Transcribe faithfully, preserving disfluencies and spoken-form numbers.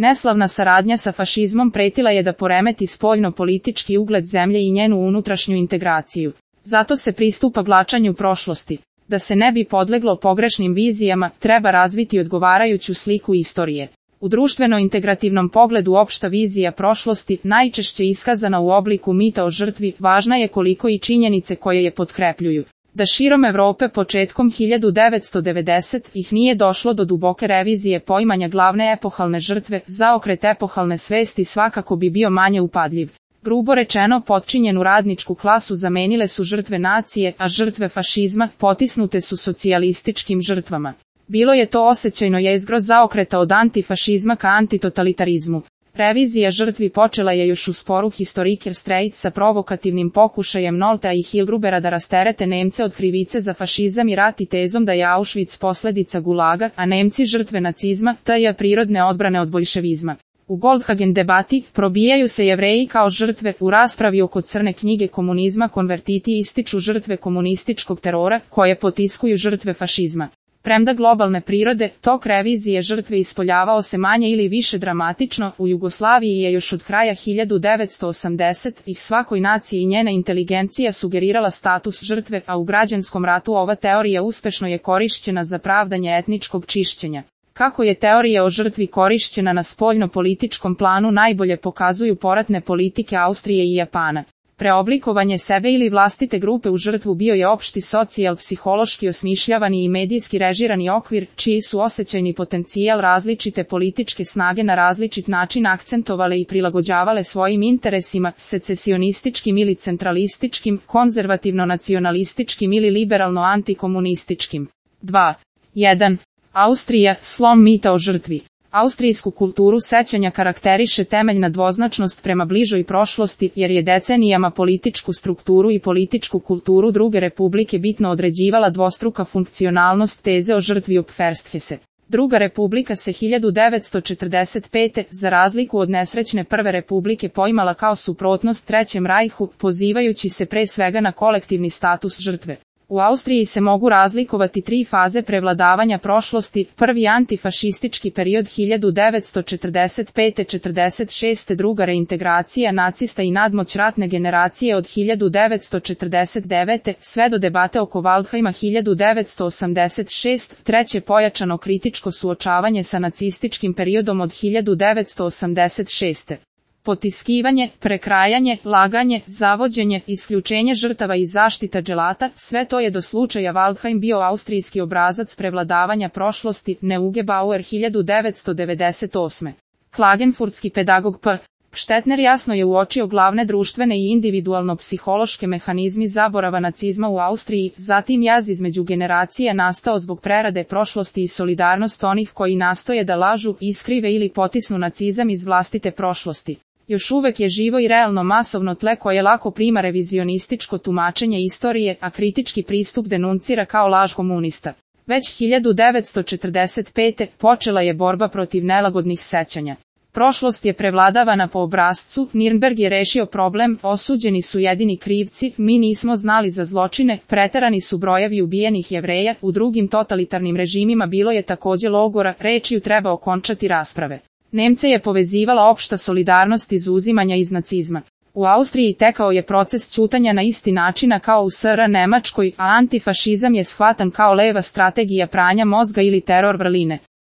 Neslavna saradnja sa fašizmom pretila je da poremeti spoljno-politički ugled zemlje i njenu unutrašnju integraciju. Zato se pristupa glačanju prošlosti. Da se ne bi podleglo pogrešnim vizijama, treba razviti odgovarajuću sliku istorije. U društveno-integrativnom pogledu opšta vizija prošlosti, najčešće iskazana u obliku mita o žrtvi, važna je koliko i činjenice koje je potkrepljuju. Da širom Evrope početkom hiljadu devetsto devedesetih nije došlo do duboke revizije poimanja glavne epohalne žrtve, zaokret epohalne svesti svakako bi bio manje upadljiv. Grubo rečeno, potčinjenu radničku klasu zamenile su žrtve nacije, a žrtve fašizma potisnute su socijalističkim žrtvama. Bilo je to osjećajno jezgro zaokreta od antifašizma ka antitotalitarizmu. Revizija žrtvi počela je još u sporu Historiker Strejc sa provokativnim pokušajem Noltea i Hilgrubera da rasterete Nemce od krivice za fašizam i rat i tezom da je Auschwitz posljedica gulaga, a Nemci žrtve nacizma, tj. prirodne odbrane od boljševizma. U Goldhagen debati probijaju se Jevreji kao žrtve, u raspravi oko crne knjige komunizma konvertiti ističu žrtve komunističkog terora, koje potiskuju žrtve fašizma. Premda globalne prirode, tok revizije žrtve ispoljavao se manje ili više dramatično, u Jugoslaviji je još od kraja hiljadu devetsto osamdesetih svakoj naciji i njena inteligencija sugerirala status žrtve, a u građanskom ratu ova teorija uspešno je korišćena za pravdanje etničkog čišćenja. Kako je teorija o žrtvi korišćena na spoljno-političkom planu najbolje pokazuju poratne politike Austrije i Japana. Preoblikovanje sebe ili vlastite grupe u žrtvu bio je opšti socijal-psihološki osmišljavani i medijski režirani okvir, čiji su osjećajni potencijal različite političke snage na različit način akcentovale i prilagođavale svojim interesima, secesionističkim ili centralističkim, konzervativno-nacionalističkim ili liberalno-antikomunističkim. dva. jedan. Austrija, slom mita o žrtvi. Austrijsku kulturu sećanja karakteriše temeljna dvoznačnost prema bližoj prošlosti, jer je decenijama političku strukturu i političku kulturu druge republike bitno određivala dvostruka funkcionalnost teze o žrtvi Opfersthese. Druga republika se hiljadu devetsto četrdeset pete. za razliku od nesrećne Prve republike poimala kao suprotnost Trećem rajhu, pozivajući se pre svega na kolektivni status žrtve. U Austriji se mogu razlikovati tri faze prevladavanja prošlosti, prvi antifašistički period hiljadu devetsto četrdeset pete do četrdeset šeste. druga reintegracija nacista i nadmoć ratne generacije od hiljadu devetsto četrdeset devete. sve do debate oko Waldheima hiljadu devetsto osamdeset šeste. treće pojačano kritičko suočavanje sa nacističkim periodom od hiljadu devetsto osamdeset šeste. Potiskivanje, prekrajanje, laganje, zavođenje, isključenje žrtava i zaštita dželata, sve to je do slučaja Waldheim bio austrijski obrazac prevladavanja prošlosti, Neugebauer hiljadu devetsto devedeset osme. Klagenfurtski pedagog P. Štetner jasno je uočio glavne društvene i individualno-psihološke mehanizmi zaborava nacizma u Austriji, zatim jaz između generacija nastao zbog prerade prošlosti i solidarnost onih koji nastoje da lažu, iskrive ili potisnu nacizam iz vlastite prošlosti. Još uvek je živo i realno masovno tle koje lako prima revizionističko tumačenje istorije, a kritički pristup denuncira kao laž komunista. Već hiljadu devetsto četrdeset pete. počela je borba protiv nelagodnih sećanja. Prošlost je prevladavana po obrascu, Nirnberg je rešio problem, osuđeni su jedini krivci, mi nismo znali za zločine, preterani su brojevi ubijenih Jevreja, u drugim totalitarnim režimima bilo je takođe logora, rečju treba okončati rasprave. Nemce je povezivala opšta solidarnost izuzimanja iz nacizma. U Austriji tekao je proces ćutanja na isti načina kao u S R Nemačkoj, a antifašizam je shvatan kao leva strategija pranja mozga ili teror vrline.